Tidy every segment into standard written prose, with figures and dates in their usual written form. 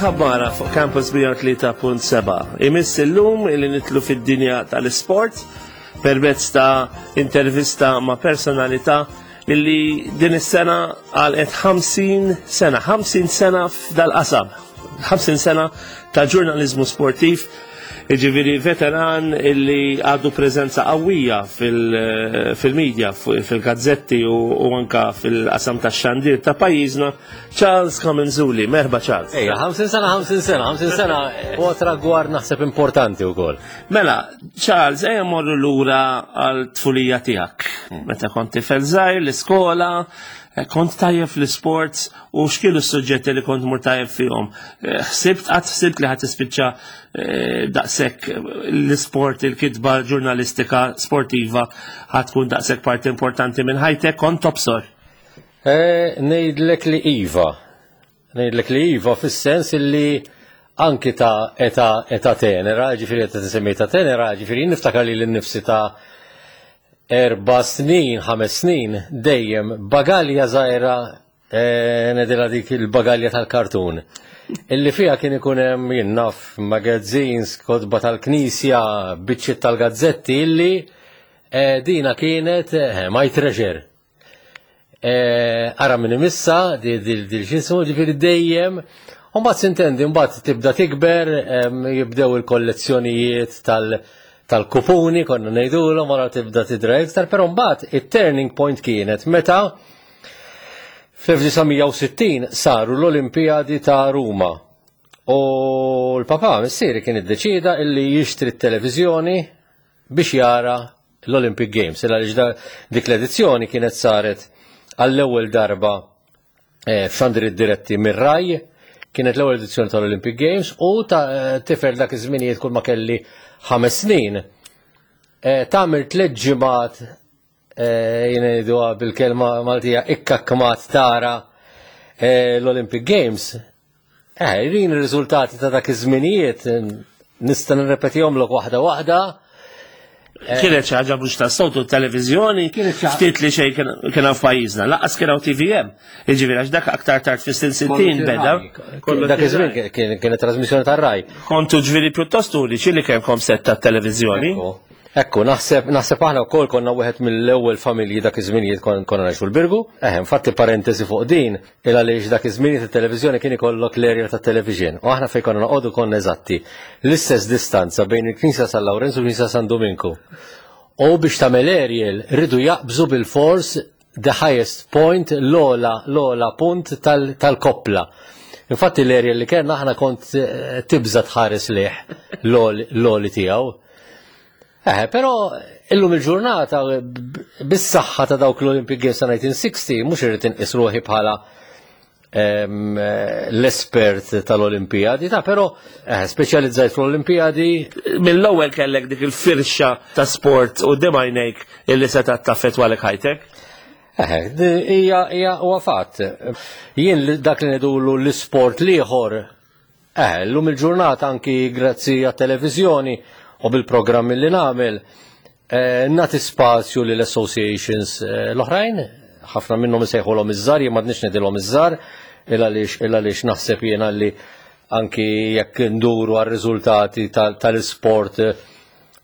Il-ħabbara fuq Campus 103.7. Imiss illum illi nitlu fid-dinja tal-isport permezz ta' intervista ma' personalità illi din is-sena għalqet 50 sena, 50 sena f'dal-qasam, 50 sena ta' ġurnaliżmu sportiv, jiġifieri veteran illi għadu preżenza qawwija fil-media, fil-gazzetti u anka fil-qasam tax-xandir ta' pajjiżna, Charles Camenzuli. Merħba Charles. Ejja, 50 sena, 50 sena, 50 sena, u tragward naħseb importanti wkoll. Mela, Charles, ejja morru lura għal tfulija tiegħek. Meta kont tifel żgħir l-iskola, eh, kont tajjeb fl-isports u x'kienu s-suġġetti li kont mur tajjeb fihom. Eh, ħsibt qatt ħsibt li ħadd tispiċċa eh, daqshekk l-isport, il-kitba ġurnalistika sportiva ħadd tkun daqshekk parti importanti minn ħajtek, kont tobsor. Ngħidlek li iva. Ngħidlek li iva fis-sens illi anki ta' età età tenera, ġifieri età tisemmi ta' tenera, ġifieri niftakar li l-nifsi ta' erba' snin, ħames snin, dejjem bagalja żgħira eh, nedilha dik il-bagalja tal-kartun. Illi fiha kien ikun hemm jien naf magazines, kotba tal-knisja, biċċiet tal-gazzetti illi eh, dina kienet eh, my treasure. Eh, ara minn imissa, dil-xismu, ġifiri dejjem, Umbat sintendi, mbagħad tibda tikber, jibdew il-kollezzjonijiet tal-kupuni, konna ngħidulhom, wara tibda tidra iktar, però mbagħad it-turning point kienet meta fl-1960 saru l-Olimpijadi ta' Ruma. U l-papa missieri kien iddeċida illi jixtri t-televiżjoni biex jara l-Olympic Games, illa għaliex dik l-edizzjoni kienet saret għall-ewwel darba eh, f'xandri diretti mir-Raj, kienet l-ewwel edizzjoni tal-Olympic Games u ta' eh, tifel dak iż-żminijiet kull ma kelli ħames snin. Eh, tagħmel tliet ġimgħat jien ngħiduha bil-kelma Maltija ikkakkmat tara l-Olympic Games Eh, rin ir-riżultati ta' dak iż-żminijiet nista' nirrepetihomlok waħda waħda. Eh, kienet xi ħaġa mhux tas-soltu televiżjoni, ftit li xejn kien hawn f'pajjiżna, laqas kien hawn TVM. Jiġifieri għax dak aktar tard fis-snin 60 beda. Dak iż-żmien kienet trasmissjoni tar-raj. Kontu ġifieri pjuttost uniċi li kellkom set tat-televiżjoni. Ekku, naħseb naħseb aħna wkoll konna wieħed mill-ewwel familji dak iż-żminijiet konna ngħixu l-Birgu. Eh, infatti parentesi fuq din, Il għaliex dak iż-żmien it-televiżjoni kien ikollok l-area tat-television u aħna fejn konna noqogħdu konna eżatti l-istess distanza bejn il-Knisja San Lawrenz u l-Knisja San Dominku. U biex tagħmel aerial ridu jaqbżu bil-fors the highest point l-ola l-ola punt tal-koppla. Infatti l-aerial li kellna aħna kont eh, tibża tħares lih l-oli tiegħu. Eh, però illum il-ġurnata bis-saħħa ta' dawk l-Olympic Games ta' 1960 mhux irrid inqis ruħi bħala ehm, l-espert tal-Olimpijadi, ta' però eh, speċjalizzajt fl-Olimpijadi. Mill-ewwel kellek dik il-firxa ta' sport u għajnejk illi se taffettwalek ħajtek? Eh, hija hija huwa fatt. Jien dak li ngħidulu l-isport l-ieħor Eh, llum il-ġurnata anki grazzi għat-televiżjoni u bil-programmi li nagħmel, eh, nagħti spazju lil associations eh, l-oħrajn, ħafna minnhom isejħulhom iż-żar, jien m'għadniex ngħidilhom iż-żar, il għaliex naħseb jiena li anki jekk nduru għar-riżultati tal-isport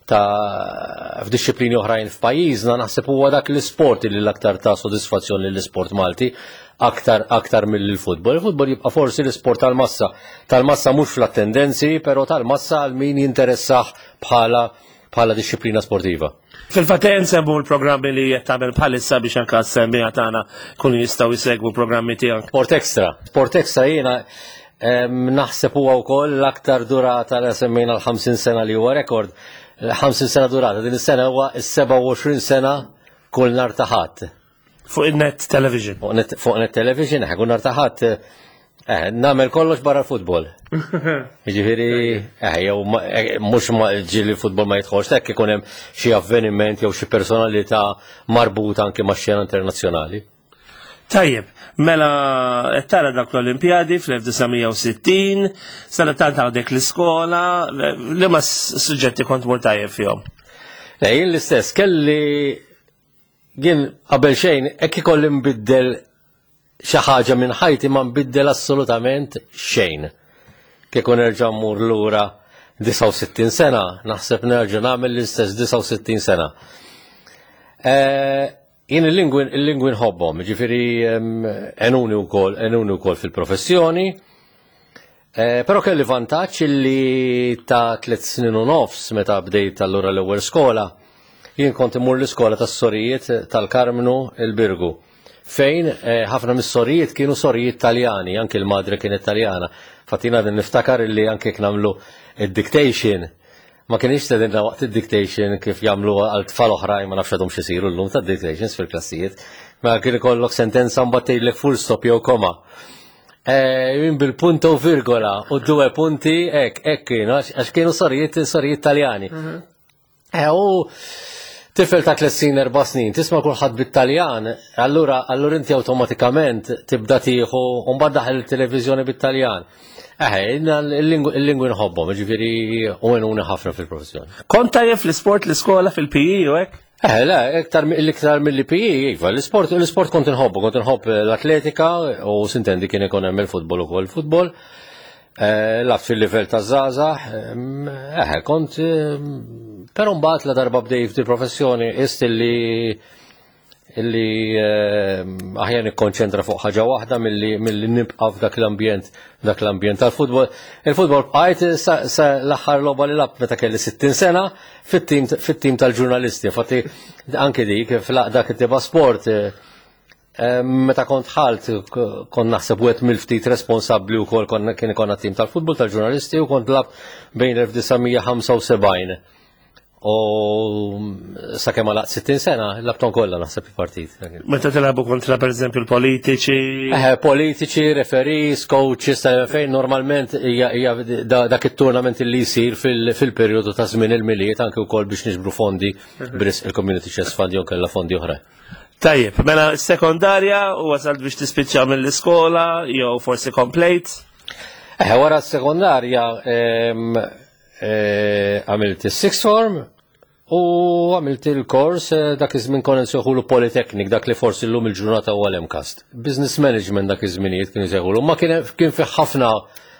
ta' f'dixxiplini oħrajn f'pajjiżna naħseb huwa dak l-isport li l-aktar ta' sodisfazzjon lill-isport Malti aktar aktar mill-futbol. Il-futbol jibqa' forsi l-isport tal-massa. Tal-massa mhux fl-attendenzi, però tal-massa għal min jinteressah bħala bħala dixxiplina sportiva. Fil-fatt nsemmu l-programmi li qed tagħmel bħalissa biex anke s-semmiegħa tagħna kunu jistgħu jsegwu programmi tiegħek. Sport Extra. Sport Extra jiena naħseb huwa wkoll l-aktar durata li semmejna l-50 sena li huwa rekord. 50 sena durata, din is-sena huwa s-27 sena kull nhar ta' Ħadd. Fuq il-net television. Fuq net television, kull nhar ta' Ħadd Eh, namel kollox barra l-futbol. Ġifiri, eh, jew eh, mux ġili l-futbol ma jitħolx, hekk ikun hemm xi avveniment jew xi personalità marbuta anke ma' xena internazzjonali. Tajjeb, mela qed tara dak l-Olimpjadi fl-1960, sena tant għadek l-iskola, li ma suġġetti kont mur tajjeb fihom? Le, jien l-istess, kelli jien qabel xejn hekk ikolli nbiddel xi ħaġa minn ħajti ma nbiddel assolutament xejn. Kieku nerġa' mmur lura 69 sena, naħseb nerġa' nagħmel l-istess 69 sena. Eh, jien il-lingwi il-lingwi nħobbhom, ġifieri enuni wkoll enuni wkoll fil-professjoni. Eh, però kelli vantaġġ li ta' tliet snin u nofs meta bdejt allura l-ewwel skola, jien kont immur l-iskola tas-sorijiet tal-Karmnu il-Birgu. Fejn eh, ħafna mis-sorijiet kienu sorijiet Taljani, anki l-madre kienet Taljana. Fatina din niftakar illi anke jekk nagħmlu id-dictation, ma kienx tedinna waqt id-dictation kif jagħmlu għal tfal oħrajn ma nafx għadhom xisiru llum ta' dictations fil-klassijiet. Ma kien ikollok sentenza mbagħad tgħidlek full stop jew koma. Eh, jien bil-punto virgola u due punti hekk hekk kienu għax kienu sorijiet sorijiet Taljani. Mhm. Eh, u tifel ta' tliet snin, erba' snin, tisma' kulħadd bit-Taljan, allura allura inti awtomatikament tibda tieħu u mbagħad daħel il-televiżjoni bit-Taljan. Eh, il-lingwi nħobbhom, ġifieri u għenuni ħafna fil-professjoni. Kont tajjeb fl-isport l-iskola fil-PE u hekk? Eh, le, iktar l-iktar mill-PE, iva, l-isport l-isport kont inħobbu, kont inħobb l-atletika u sintendi kien ikun hemm il-futbol ukoll il-futbol. Eh, Laf fil-livell ta' żgħażagħ, eh, kont però mbagħad la darba bdej f'di professjoni ist illi illi aħjar nikkonċentra fuq ħaġa waħda milli milli nibqa' f'dak l-ambjent dak l-ambjent tal-futbol. Il-futbol bqajt sa, sa l-aħħar logħba li labt meta kelli 60 sena fit-tim fit-tim tal-ġurnalisti. Infatti anke dik fl-aqda kittiba sport eh, Meta kont ħalt, kont naħseb wieħed mill-ftit responsabbli wkoll konna kien ikonna tim tal-futbol tal-ġurnalisti u kont lab bejn 1975 u sakemm għalaqt 60 sena labton kollha naħseb il-partit. Meta tilagħbu kontra pereżempju l-politiċi. Eh, politiċi, referees, coaches, fejn normalment hija dak it-tournament li jsir fil-perjodu ta' żmien il-miliet anke wkoll biex niġbru fondi bris il-Community Chest Fund jew kellha fondi oħra. Tajjeb, mela sekondarja u wasalt biex tispiċċa mill-iskola jew forsi komplejt? Eh, wara s-sekondarja eh, għamilt is-sixth form u għamilt il-kors eh, dak iż-żmien konna nsejħulu Polytechnic, dak li forsi llum il-ġurnata huwa l-MCAST. Business management dak iż-żminijiet kienu jsejħulu, ma kien kien fih ħafna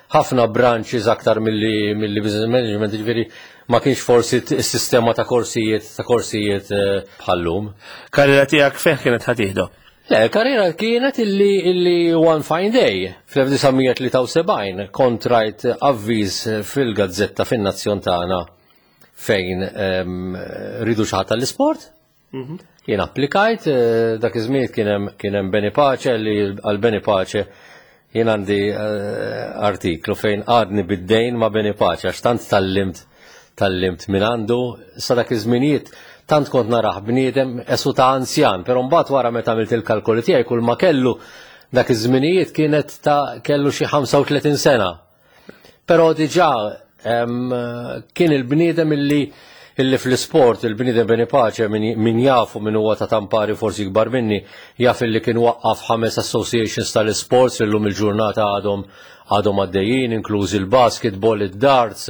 ħafna branches aktar milli milli business management, ġifieri ma kienx forsi s-sistema ta' korsijiet ta' korsijiet eh, bħallum. Karriera tiegħek fejn kienet ħatieħdu? Le, karriera kienet illi illi one fine day fl-1973 kont rajt avviż fil-gazzetta fin-nazzjon tagħna fejn ehm, ridu xi ħadd tal-isport. Mhm. Jien applikajt, eh, dak iż-żmien kien hemm kien hemm Beni Pace li għal Beni Pace jien għandi eh, artiklu fejn għadni bid-dejn ma' Beni Pace għax tant tallimt tallimt minn għandu sa dak iż-żminijiet tant kont narah bniedem esu ta' anzjan, però mbagħad wara meta għamilt il-kalkoli tiegħi kull ma kellu dak iż-żminijiet kienet ta' kellu xi 35 sena. Però diġà kien il-bniedem illi illi fl-isport il-bniedem Beni Pace min jafu min huwa ta' tampari forsi kbar minni jaf illi kien waqqaf ħames associations tal-isports li llum il-ġurnata għadhom għadhom għaddejjin, inklużi l-basketball, id-darts,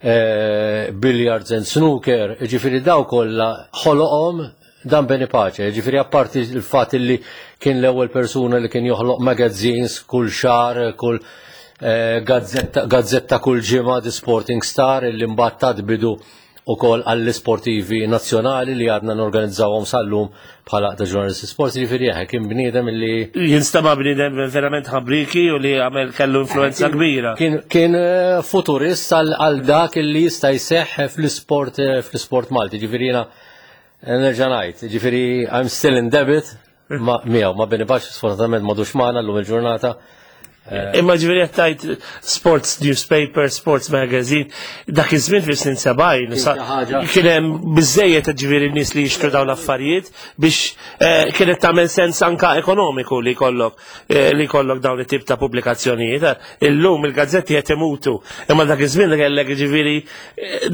eh, billiards and snooker, ġifiri daw kollha ħoloqhom Dan Beni Pace, ġifiri apparti il-fat li kien l-ewwel persuna li kien joħloq magazines kull xar, kull eh, gazzetta, gazzetta kull ġimgħa The Sporting Star illi mbagħad tat bidu ukoll għall-isportivi nazzjonali li għadna norganizzawhom sal-lum bħala ta' ġurnalisti sport, ġifieri eħe kien bniedem li Jinstama bniedem verament ħabriki u li għamel kellu influenza kbira. Kien, kien eh, futurist għal dak li jista' jseħħ fl-isport eh, fl-isport Malti, ġifieri jiena Nerġa' ngħid, ġifieri I'm still in debit ma miegħu ma Beni Pace sfortunatament m'għadux magħna llum il-ġurnata. Eh, Imma ġifieri qed tgħid sports newspaper, sports magazine, dak iż-żmien fis-snin 70 kien hemm biżejjed ġifieri nies li jixtru dawn l-affarijiet biex eh, kienet tagħmel sens anka ekonomiku li jkollok eh, li jkollok dawn it-tip ta' pubblikazzjonijiet. Illum il-gazzetti qed imutu, imma dak iż-żmien li kellek ġifieri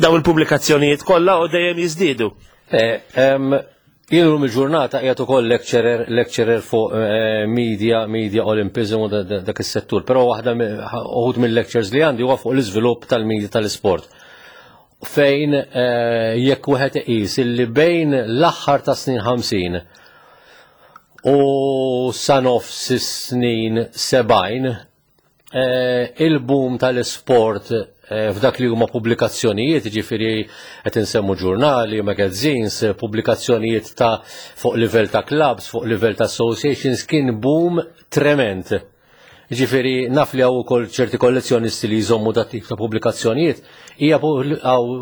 daw il-pubblikazzjonijiet kollha u dejjem jiżdiedu. Eh, jien lum il-ġurnata qiegħed ukoll lecturer, lecturer fuq eh, media, media Olympism u dak is-settur, però waħda uħud mill-lectures li għandi huwa fuq l-iżvilupp tal-media tal-isport. Fejn eh, jekk wieħed iqis illi bejn l-aħħar ta' snin 50 u sa nofs snin 70. eh, il-boom tal-isport eh, f'dak li huma pubblikazzjonijiet, ġifieri qed insemmu ġurnali, magazines, pubblikazzjonijiet ta' fuq livell ta' clubs, fuq livell ta' associations, kien boom trement. Ġifieri naf li hawn ukoll ċerti kollezzjonisti li jżommu dat tip ta' pubblikazzjonijiet, hija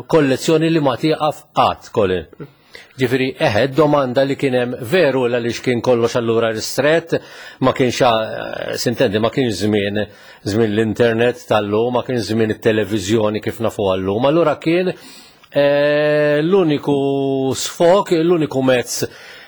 kollezzjoni li ma tieqaf qatt, Colin. Ġifieri eħe domanda li kien hemm veru għaliex kien kollox allura ristret, ma kienx eh, sintendi ma kienx żmien żmien l-internet tal-lum, ma kienx żmien it-televiżjoni kif nafu għallum. Allura kien eh, l-uniku sfok, l-uniku mezz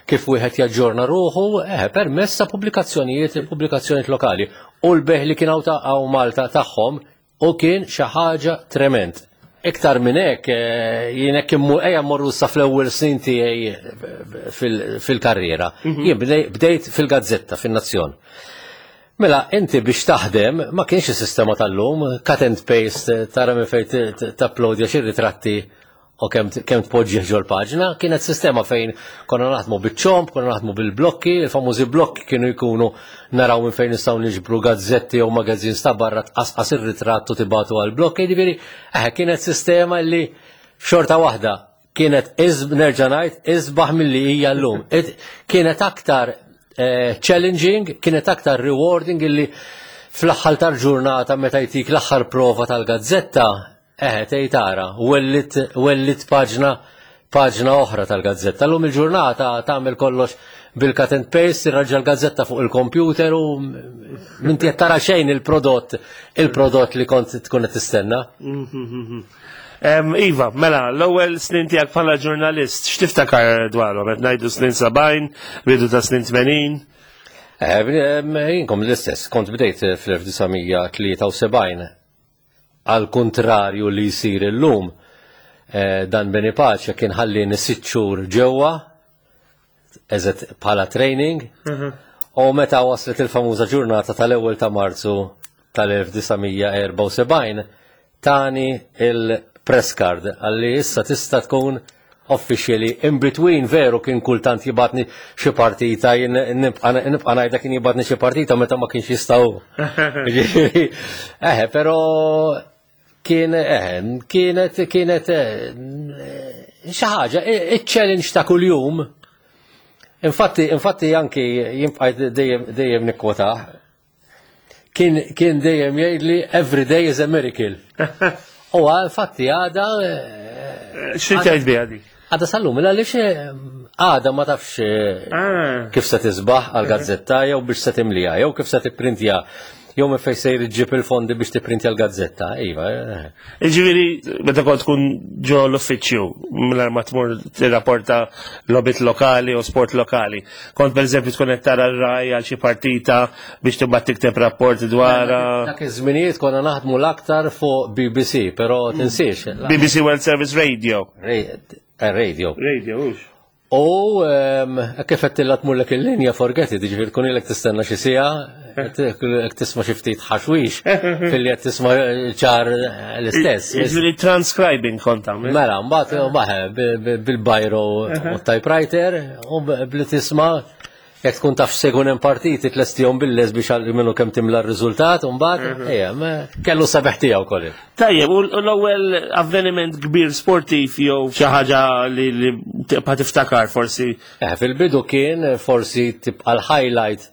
kif wieħed jaġġorna ruħu, eh, permezz ta' pubblikazzjonijiet, pubblikazzjonijiet lokali. U l-beħ li kien hawn Malta tagħhom U kien xi ħaġa trement. Iktar minn hekk, eh, jien hekk ejja mmorru sa fl-ewwel snin tiegħi eh, fil-karriera. Mhm. Jien bdejt fil-gazzetta, fin-Nazzjon. Mela, inti biex taħdem, ma kienx is-sistema tal-lum, cut and paste, tara minn fejn tapplodja xi ritratti u kemm kemm tpoġġih ġol-paġna, kienet sistema fejn konna naħdmu biċ-ċomp, konna naħdmu bil-blokki, il-famużi blokki kienu jkunu naraw minn fejn nistgħu niġbru gazzetti jew magazzins ta' barra tqasqas ir-ritratt u tibatu għall-blokki, jiġifieri eh, kienet sistema li xorta waħda kienet nerġa' ngħid isbaħ milli hija llum. Kienet aktar eh, challenging, kienet aktar rewarding illi fl-aħħar tal-ġurnata meta jtik l-aħħar prova tal-gazzetta Eħe, tgħid ara, wellit wellit paġna paġna oħra tal-gazzetta. Llum il-ġurnata tagħmel kollox bil-cut and paste, tirraġġa l-gazzetta fuq il-computer u minti qed tara xejn il-prodott il-prodott li kont tkun qed tistenna. Iva, mela, l-ewwel snin tiegħek bħala ġurnalist, x'tiftakar dwarhom? Qed ngħidu snin 70, bidu ta' snin 80? Eh, jinkom l-istess, kont bdejt fl-1973 Għal kuntrarju li jsir illum, eh, dan Beni Pace kien ħallini sitt xhur ġewwa eżet bħala training mhm. u meta waslet il-famuża ġurnata tal-ewwel ta' Marzu tal-1974 tani il-press card għalli issa tista' tkun officially in between veru kien kultant jibatni xi partita jien nibqa' ngħidha kien jibatni xi partita meta ma kienx jistgħu. Eħe, però kien eħe, kienet kienet eh, xi ħaġa, iċ-challenge ta' kuljum. Infatti, infatti anki jien dejjem dejjem nikkwotah Kien, kien dejjem jgħidli every day is a miracle. U infatti għada. Eh, Xi tgħid biha dik? Għada sallum, għaliex eh, għada ma tafx eh, ah. kif se tisbaħ għal gazzetta jew biex se timlija jew kif se tipprintja jew minn fejn se jġib il-fondi biex tipprintja l-gazzetta, iva. Ġifieri, meta kont tkun ġo l-uffiċċju, mingħajr ma tmur tirrapporta lobit lokali u sport lokali. Kont pereżempju tkun qed tara r-raj għal xi partita biex tibgħat tikteb rapport dwar. Dak iż-żminijiet konna naħdmu l-aktar fuq BBC, però tinsiex. BBC World Service Radio. Eh, radio. Radio, hux. U ehm, kif qed tilla tmurlek il-linja forget it, jiġifieri tkun ilek tistenna xi siegħa, qed tisma' xi ftit ħaxwix filli qed tisma' ċar l-istess. Jiġifieri transcribing kont tagħmel. Mela, mbagħad baħe bil-bajro u typewriter u bli tisma' Jekk tkun taf se jkun hemm partiti tlestihom bil-les biex għal minnu kemm timla r-riżultat u mbagħad mhm. ejja, kellu sabeħ tiegħu kolli. Tajjeb, u l-ewwel avveniment kbir sportiv jew xi ħaġa li tibqa' tiftakar forsi. Eh, fil-bidu kien forsi tibqa' l-highlight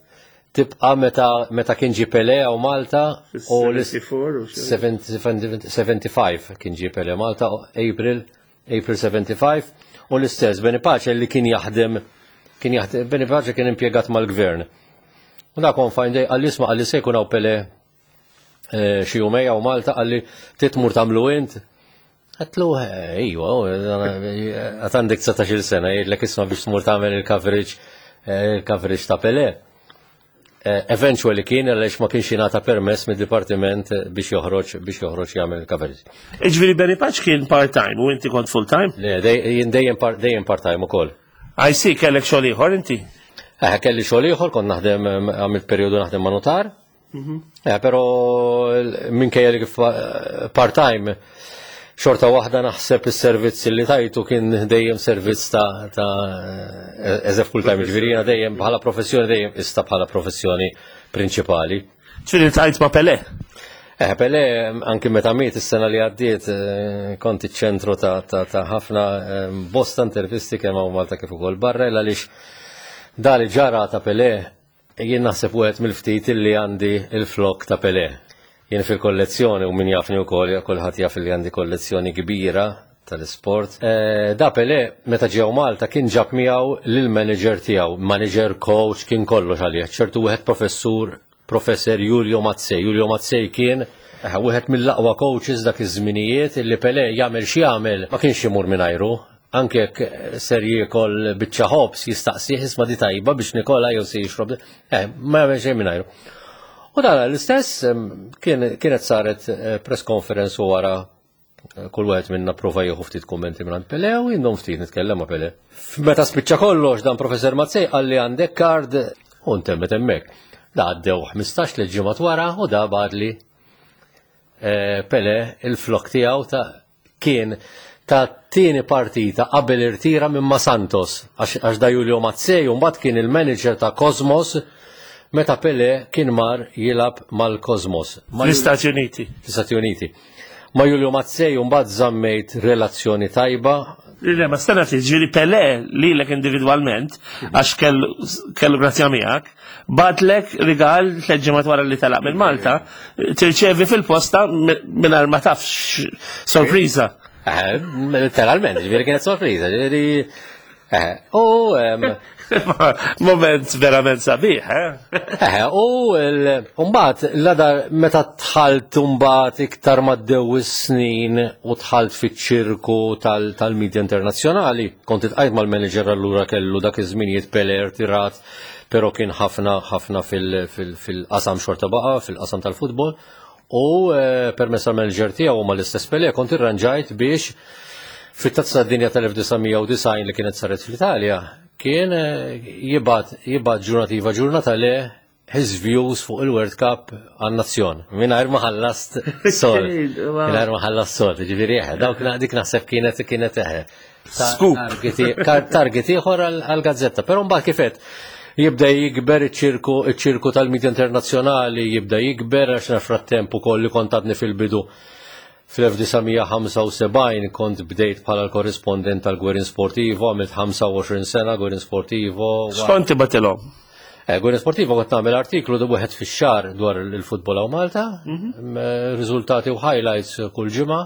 tibqa' meta meta kien ġie Pele u Malta u l-75 kien ġie Pele Malta April April 75, u l-istess Beni Pace li kien jaħdem kien jaħdem Beni Pace kien impjegat mal-gvern. U dak on fine day għalli isma' għalli se jkun hawn Pele eh, xi jumej hawn Malta għalli titmur tagħmlu int. Għatlu, eh, iwa, għat għandek 19 sena, jgħidlek isma' biex tmur tagħmel il-coverage eh, il-coverage ta' Pele. Eh, eventually kien għaliex ma kienx jingħata permess mid-dipartiment biex joħroġ biex joħroġ jagħmel coverage. Iġifieri Benny Paċ kien part-time u inti kont full-time? Le, jien dejjem dejjem part-time ukoll. I see, kellek xogħol ieħor inti? Eh, kelli xogħol ieħor, kont naħdem għamilt perjodu naħdem ma' notar. Mhm. Eh, però minkejja li kif eh, part-time xorta waħda naħseb is-servizz li tajtu kien dejjem servizz ta' ta' eh, as a full time, ġifieri jiena dejjem bħala professjoni dejjem ista bħala professjoni prinċipali. Ġifieri ltqajt ma' Pelé. Eh, Pelé, anki meta miet is-sena li għaddiet, eh, kont iċ-ċentru ta' ħafna eh, bosta intervisti kemm hawn Malta kif ukoll barra, għaliex dali ġara ta' Pelé jien naħseb wieħed mill-ftit li għandi il-flok ta' Pelé. Jien fil-kollezzjoni u min jafni wkoll kulħadd jaf li għandi kollezzjoni kbira tal-isport. Eh, da Pelé meta ġew Malta kien ġab miegħu lill-manager tiegħu, manager coach kien kollox għalih, ċertu wieħed professur Professor Julio Mazzei. Julio Mazzei kien eh, wieħed mill-aqwa coaches dak iż-żminijiet li Pelé jagħmel x'jagħmel ma kienx imur mingħajru. Anke jekk eh, ser jiekol biċċa ħobż jistaqsih isma' di tajba biex nikola jew se jixrob. Eh, ma jagħmel xejn mingħajru. U dan l-istess kienet saret eh, press conference u wara kull wieħed minna prova jieħu ftit kummenti minn Pele u jindom ftit nitkellem ma' Pele. Meta spiċċa kollox dan Professor Mazzej qalli għandek kard u ntemmet hemmhekk. Da għaddew 15 li ġimgħat wara u da badli eh, Pele il-flok tiegħu ta' kien ta' tieni partita qabel irtira minn ma' Santos għax da Julio Mazzej u mbagħad kien il-manager ta' Cosmos meta Pele kien mar jilab mal-Cosmos. L-Istati Uniti. L-Istati Uniti. Ma' Julio Mazzei mbagħad żammejt relazzjoni tajba. Le, ma stenna ftit, ġieli Pelé lilek individwalment, għax kellu grazzja miegħek, batlek rigal tliet ġimgħat wara li telaq minn Malta, tirċevi fil-posta mingħajr ma tafx sorpriża. Eh, letteralment, ġifieri kienet sorpriża, ġifieri Eh, u moment verament sabiħ, eh? eh u mbagħad l-għada meta tħalt mbagħad iktar maddew is-snin u tħalt fiċ-ċirku tal-medja internazzjonali, kont itqajt mal-manager allura kellu dak iż-żminijiet Peler tirat, però kien ħafna ħafna fil-qasam xorta baqa, fil-qasam tal-futbol, U eh, permezz tal-manager tiegħu ma l-istess Pelé kont irranġajt biex fit-tazza dinja tal-1990 li kienet saret fl-Italja kien eh, jibgħat jibgħat ġurnativa ġurnata le his views fuq il-World Cup għan-nazzjon. Mingħajr ma ħallast sol. Mingħajr ma ħallast sol, ġifieri eħe, dawk dik naħseb kienet kienet eħe. Scoop. Target ieħor għall-gazzetta, però mbagħad kifet jibda jikber iċ-ċirku iċ-ċirku tal-medja internazzjonali jibda jikber għax naf frattemp ukoll li kont għadni fil-bidu fl-1975 kont bdejt bħala l-korrispondent tal-Gwerin Sportivo, għamilt 25 sena Gwerin Sportivo. X'kont tibatilhom? Eh, Gwerin Sportivo kont nagħmel artiklu du wieħed fix-xahar dwar il-futbol hawn Malta, mhm. riżultati u highlights kull ġimgħa.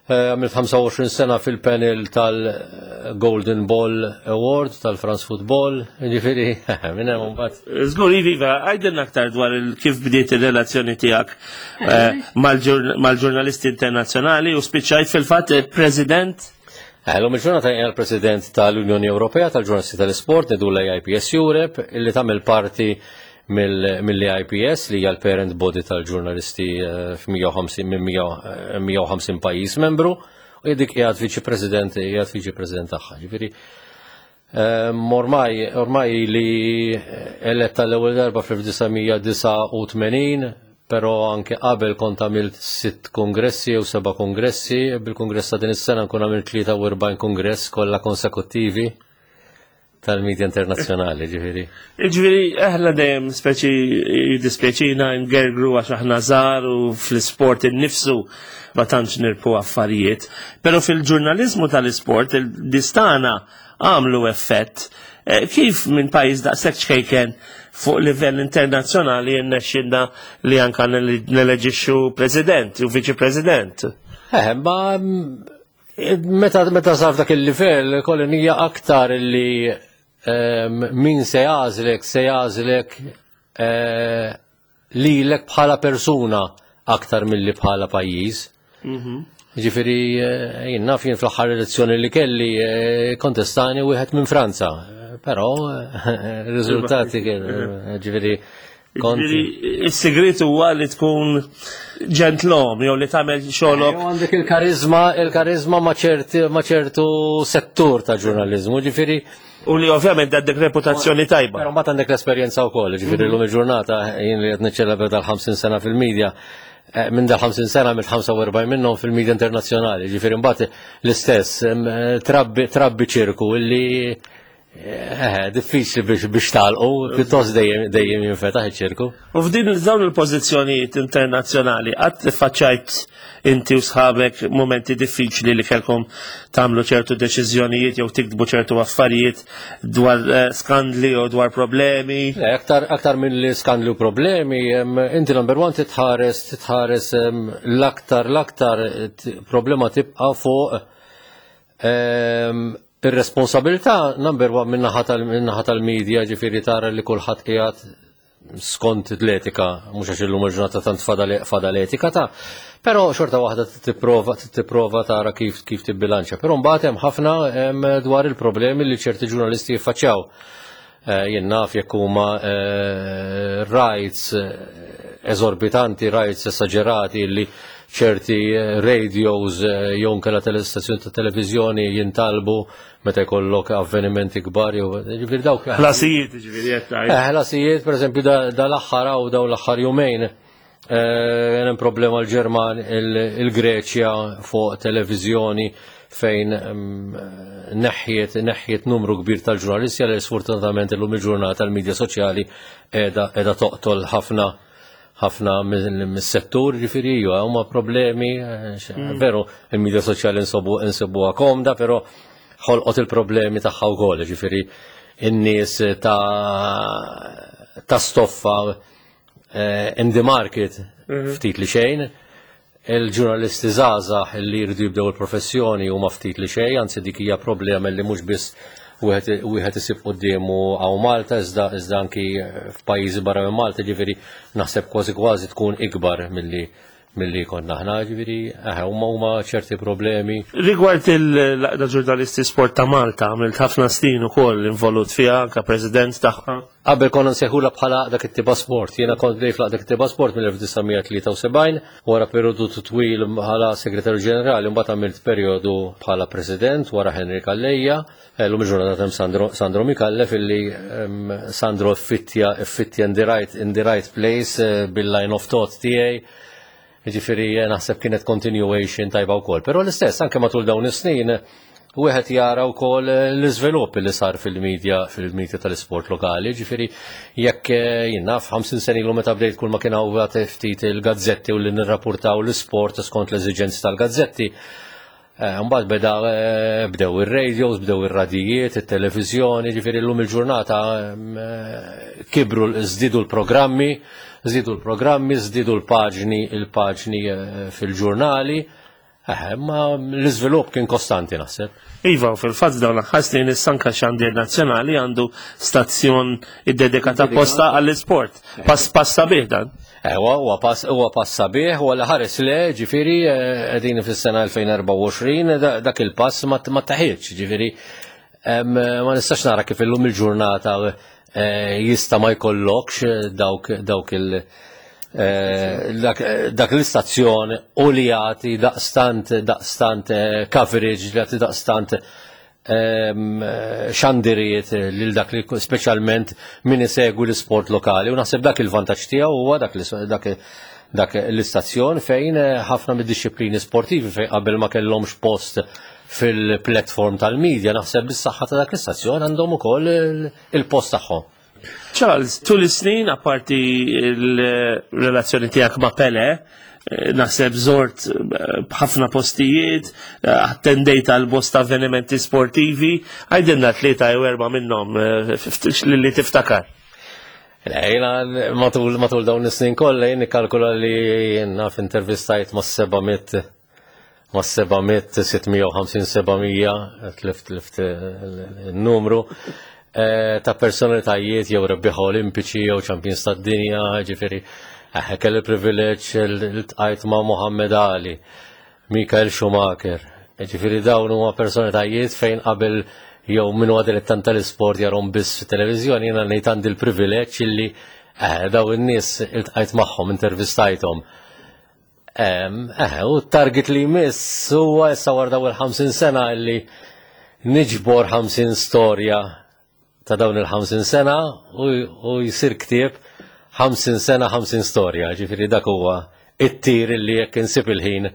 Eh, għamilt 25 sena fil-panel tal-Golden Ball Award tal-France Football, ġifiri, minn hemm mbagħad. Żgur iva, għajdilna aktar dwar kif bdiet ir-relazzjoni tiegħek eh, mal-ġurnalisti internazzjonali u spiċċajt fil-fatt president L-lum il-ġurnata jgħal president tal-Unjoni Ewropea tal-Ġurnalisti tal-Isport, nidu l-AIPS Europe, illi tagħmel parti mill-IPS li hija l-parent body tal-ġurnalisti eh, f'150 minn 150 eh, pajjiż membru u dik qiegħed viċi president qiegħed viċi president tagħha. Ġifieri eh, ormai ormai li eletta l-ewwel darba fl-1989 però anke qabel kont għamilt sitt kongressi jew seba' kongressi, bil-kongress ta' din is-sena nkun għamilt 43 kongress kollha konsekuttivi tal-medja internazzjonali, ġifiri. Ġifiri, aħna dejjem speċi jiddispjaċina ngergru għax aħna żgħar u fl-isport innifsu ma tantx nirpu affarijiet. Però fil-ġurnaliżmu tal-isport il-distana għamlu effett. Eh, kif minn pajjiż daqshekk ċkejken fuq livell internazzjonali jirnexxinna li anka neleġixxu president u viċi president? Eh, ma Meta meta sar dak il-livell, kolli hija aktar li ehm, min se jażlek, se jażlek eh, lilek bħala persuna aktar milli bħala pajjiż. Mhm. Ġifieri eh, jien naf jien fl-aħħar elezzjoni li kelli eh, kontestani wieħed minn Franza, però riżultati kienu ġifieri Is-sigrit huwa li tkun ġentlom jew li tagħmel xogħolok. Għandek il-karizma, il-karizma ma' ċertu settur ta' ġurnaliżmu, ġifieri. U li ovvjament għandek reputazzjoni tajba. Però mbagħad għandek l-esperjenza wkoll, ġifieri mhm. llum il-ġurnata jien li qed niċċelebra dal-50 sena fil-medja, eh, minn dal 50 sena mill 45 minnhom fil-medja internazzjonali, ġifieri mbagħad l-istess eh, trabbi ċirku illi Eh, diffiċli biex biex talqu, pjuttost dejjem dejjem jinfetaħ iċ-ċirku. U f'din dawn il-pożizzjonijiet internazzjonali qatt faċċajt inti u sħabek momenti diffiċli li kellkom tagħmlu ċertu deċiżjonijiet jew tiktbu ċertu affarijiet dwar eh, skandli u dwar problemi. Le, aktar aktar minn li skandli u problemi, inti number one titħares titħares l-aktar l-aktar problema tibqa' fuq Ir-responsabilità number one min-naħa tal-media ġifieri tara li kulħadd qiegħed skont l-etika, mhux għax illum il-ġurnata tant fadal etika ta' però xorta waħda tipprova tipprova tara kif kif tibbilanċa. Però mbagħad hemm ħafna dwar il-problemi li ċerti ġurnalisti jiffaċċjaw. Eh, jien naf jekk huma eh, rights eh, eżorbitanti, rights esaġerati li ċerti radios jew nkella telestazzjoni ta' televiżjoni jintalbu meta jkollok avvenimenti kbar jew ġifieri dawk. Ħlasijiet ġifieri qed tgħid. Ħlasijiet pereżempju dal-aħħar hawn dawn l-aħħar jumejn hemm problema l-Ġerman il-Greċja fuq televiżjoni fejn mm, neħħiet neħħiet numru kbir tal-ġurnalisti għal sfortunatament illum il-ġurnata l-medja soċjali qiegħda toqtol ħafna ħafna mis-settur ġifieri iva, huma problemi eh, mm. veru il-medja soċjali nsobu insibuha komda, però ħolqot il-problemi tagħha wkoll, ġifieri in-nies ta' ta' stoffa eh, in the market mhm. ftit li xejn, il-ġurnalisti żgħażagħ li jridu jibdew il-professjoni huma ftit li xejn, anzi dik hija problema li mhux biss wieħed isib quddiemu hawn Malta iżda iżda anki f'pajjiżi barra minn Malta, ġifieri naħseb kważi kważi tkun ikbar milli milli konna aħna, ġifieri eh, huma huma ċerti problemi. Rigward il-Laqda Ġurnalisti Sport ta' Malta, għamilt ħafna snin ukoll involut fiha anke president tagħha. Qabel konna nsejħulha bħala Għaqda Kittieba Sport. Jiena kont bdejt fl-Għaqda Kittieba Sport mill-1973, wara perjodu twil bħala Segretarju Ġenerali, mbagħad għamilt perjodu bħala President wara Henry Calleja. Llum il-ġurnata hemm Sandro, Sandro Micallef illi Sandro ffittja ffittja in the right, in the right place eh, bil-line of thought tiegħi. Jiġifieri eh, naħseb kienet continuation tajba wkoll. Però l-istess anke matul dawn is-snin wieħed jara wkoll eh, l-iżvilupp li sar fil-medja fil-medja tal-isport lokali. Ġifieri jekk eh, jien naf 50 sena ilu meta bdejt kull ma kien hawn ftit il-gazzetti u li nirrapportaw l-isport skont l-eżiġenzi tal-gazzetti. Eh, mbagħad beda eh, bdew ir-radios, bdew ir-radijiet, it-televiżjoni, ġifieri llum il-ġurnata eh, kibru żdiedu l-programmi, żdiedu l-programmi, żdiedu l-paġni, il-paġni fil-ġurnali. Ma l-iżvilupp kien kostanti naħseb. Iva, u fil-fatt dawn l-aħħar snin is-Sanka Xandir Nazzjonali għandu stazzjon iddedikat apposta għall-isport. Pass pass sabiħ dan. Ewa, huwa pass huwa pass sabiħ u għal ħares le, ġifieri eh, qegħdin fis-sena 2024 dak il-pass ma taħiex, ġifieri ma nistax nara kif illum il-ġurnata eh, jista' ma jkollokx eh, dawk dawk il- dak l-istazzjon u li jagħti daqstant daqstant coverage li jagħti daqstant Ehm, xandirijiet lil dak li speċjalment min isegwi l-isport lokali u naħseb dak il-vantaġġ tiegħu huwa dak dak dak l-istazzjon fejn eh, ħafna mid-disciplini sportivi fejn qabel ma kellhomx post fil-platform tal-medja naħseb bis-saħħa ta' dak l-istazzjon għandhom ukoll il-post tagħhom. Charles, tul is-snin apparti l-relazzjoni tiegħek ma' Pele, eh, naħseb zort eh, b'ħafna postijiet, eh, attendejt għal bosta avvenimenti sportivi, għajdinna tlieta jew erba' minnhom li tiftakar. Jena matul matul dawn is-snin kollha jien nikkalkula li jiena f'intervistajt ma' 700 ma' 700, 650, 700, tlift tlift il-numru, eh, ta' personalitajiet jew rebbieħa olimpiċi jew champions tad-dinja, ġifieri eh, kelli privileġġ l-tqajt ma' Muhammad Ali, Michael Schumacher, ġifieri dawn huma personalitajiet fejn qabel jew min huwa dilettant tal-isport jarhom biss fit-televiżjoni, jiena ngħid għandi l-privileġġ illi eh, daw in-nies iltqajt magħhom, intervistajthom. Eh, u t-target li jmiss huwa issa wara dawn il-50 sena li niġbor 50 storja ta' dawn il-50 sena u jsir ktieb 50 sena 50 storja, ġifieri dak huwa it-tir li jekk insib il-ħin.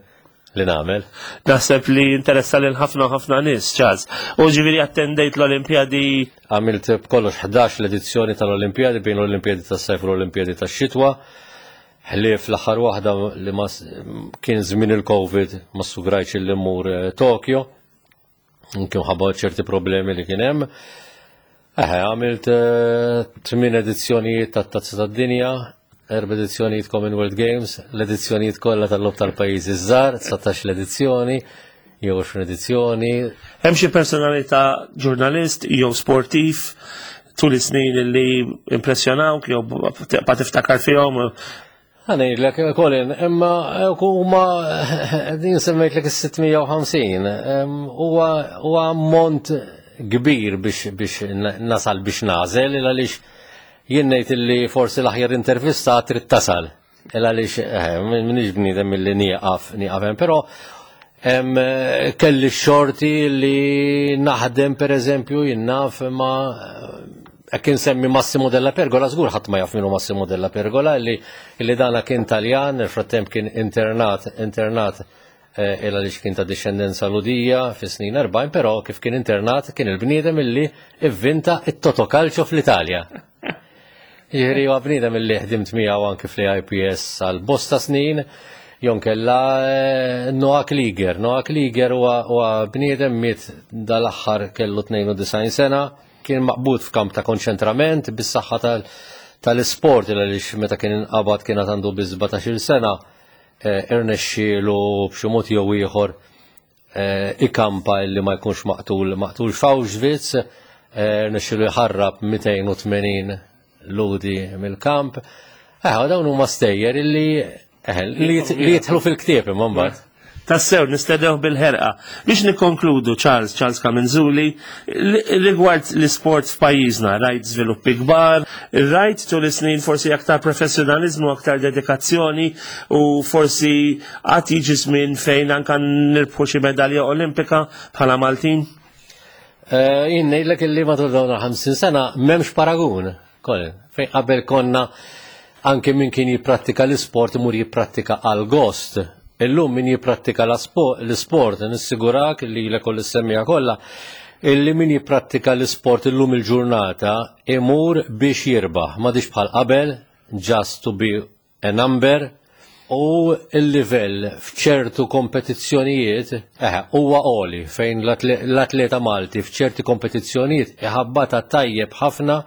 li nagħmel. Naħseb li interessa lil ħafna ħafna nies, Charles. U ġifieri attendejt l-Olimpjadi. Għamilt b'kollox 11 l-edizzjoni tal-Olimpjadi bejn l-Olimpjadi tas-sajf u l-Olimpjadi tax-xitwa. Ħlief l-aħħar waħda li ma kien żmien il-Covid ma sugrajtx li mmur eh, Tokyo. Kien ħabba ċerti problemi li kien hemm. Eħe, għamilt eh, tmien edizzjonijiet tat-Tazza tad-Dinja, erba' edizzjonijiet Commonwealth Games, l-edizzjonijiet kollha tal-Lob tal-Pajjiżi żgħar, 19 l-edizzjoni, jew 20 edizzjoni. Hemm xi personalità ġurnalist jew sportiv tul is-snin li impressjonawk jew tibqa' tiftakar fihom? Ħanejlek, Colin, imma huma din semmejtlek is-650, huwa ammont kbir biex nasal biex nażel, għaliex jien ngħid illi forsi l-aħjar intervista trid tasal. Għaliex eh, minix bniedem milli nieqaf nieqaf hemm, però kelli xorti li naħdem per eżempju jien naf ma' Hekk insemmi Massimo Della Pergola, żgur ħadd ma jaf minnu Massimo Della Pergola, li, li dana kien Taljan, nel-frattemp kien internat, internat eh, il għaliex kien ta' discendenza ludija fi snin 40, però kif kien internat kien il-bniedem illi ivvinta it-totokalċo fl-Italja. Jiġri huwa bniedem illi ħdimt miegħu anki fl-IPS għal bosta snin, jonkella eh, Noah Klieger. Noah Klieger huwa bniedem miet dal-aħħar kellu 92 sena, Kien maqbud f'kamp ta' konċentrament bis-saħħa tal-isport għaliex meta kien inqabad kien għad għandu biss 17-il sena eh, irnexxielu b'xi mod jew ieħor eh, ikampa illi ma jkunx maqtul maqtul f'Auschwitz, eh, irnexxielu jħarrab 280 ludi mill-kamp. Eh, dawn huma stejjer illi eh, li jidħlu fil-ktieb imma mbagħad. Tassew, nistennew bil-ħerqa. Biex nikkonkludu, Charles, Charles Camenzuli, rigward l-isport f'pajjiżna, rajt żviluppi kbar, rajt tul is-snin forsi aktar professjonalizmu, aktar dedikazzjoni u forsi għad jiġi żmien fejn anka nirbħu xi medalja olimpika bħala Maltin? Eh, jien ngħidlek illi matul dawn il-50 sena m'hemmx paragun. Colin, fejn qabel konna anke min kien jipprattika l-isport imur jipprattika għal gost. Illum min jipprattika l-isport, nissigurak li l koll is-semmija kollha, illi min jipprattika l-isport illum il-ġurnata imur biex jirbaħ, m'għadix bħal qabel, just to be a number u l-livell f'ċertu kompetizzjonijiet eh, huwa għoli fejn l-atleta Malti f'ċerti kompetizzjonijiet iħabbata tajjeb ħafna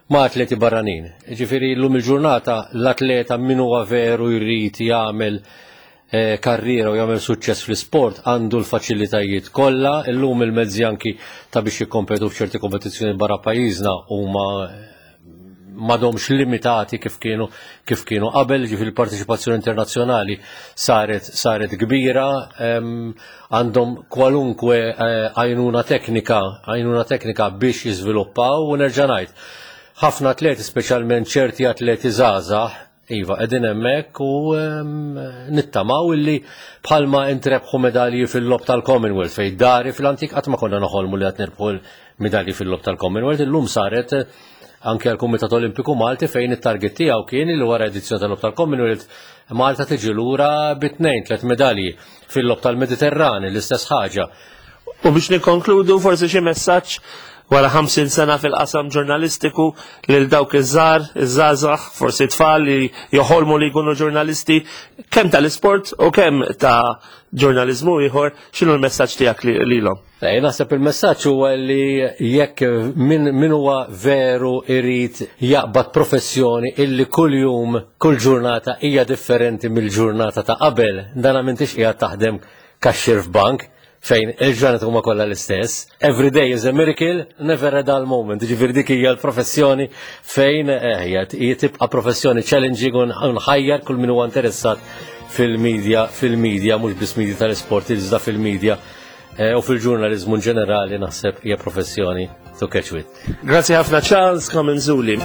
ma' atleti barranin. Ġifieri llum il-ġurnata l-atleta min huwa veru jrid jagħmel eh, karriera u jagħmel suċċess fl-isport għandu l-faċilitajiet kollha, illum il-mezzi anki ta' biex jikkompetu f'ċerti kompetizzjoni barra pajjiżna huma m'għadhomx limitati kif kienu kif kienu qabel, ġifieri l-parteċipazzjoni internazzjonali saret saret kbira, għandhom kwalunkwe eh, għajnuna teknika, għajnuna teknika biex jiżviluppaw u nerġa' ngħid. Ħafna atleti, speċjalment ċerti atleti żgħażagħ, Iva, qegħdin hemmhekk u nittamaw illi bħalma intrebħu medalji fil-lob tal-Commonwealth fejn dari fil-antik qatt ma konna noħolmu li qed nirbħu medalji fil-lob tal-Commonwealth, illum saret eh, anke għal-Kumitat Olimpiku Malti fejn it-target tiegħu kien li wara edizzjoni tal-lob tal-Commonwealth Malta tiġi lura bit-tnejn tliet medalji fil-lob tal-Mediterrani l-istess ħaġa. U biex nikkonkludu forsi xi messaġġ wara 50 sena fil-qasam ġurnalistiku lil dawk iż-żgħar, iż-żgħażagħ, forsi tfal li joħolmu li jkunu ġurnalisti kemm tal-isport u kemm ta' ġurnaliżmu ieħor, x'inhu l-messaġġ tiegħek lilhom? Eh, naħseb il-messaġġ huwa li jekk min, min huwa veru irid jaqbad professjoni illi kull jum, kull ġurnata hija differenti mill-ġurnata ta' qabel, dana m'intix qiegħed taħdem kaxxir f'bank, fejn il-ġranet huma kollha l-istess. Every day is a miracle, never a dull moment. Ġifieri dik hija l-professjoni fejn eh, hija tibqa' professjoni challenging u nħajjar kull min huwa interessat fil-media, fil-media, mhux biss media tal-isport, iżda fil-media eh, u fil-ġurnalizmu ġenerali naħseb hija professjoni to catch with. Grazzi ħafna Charles Comenzuli.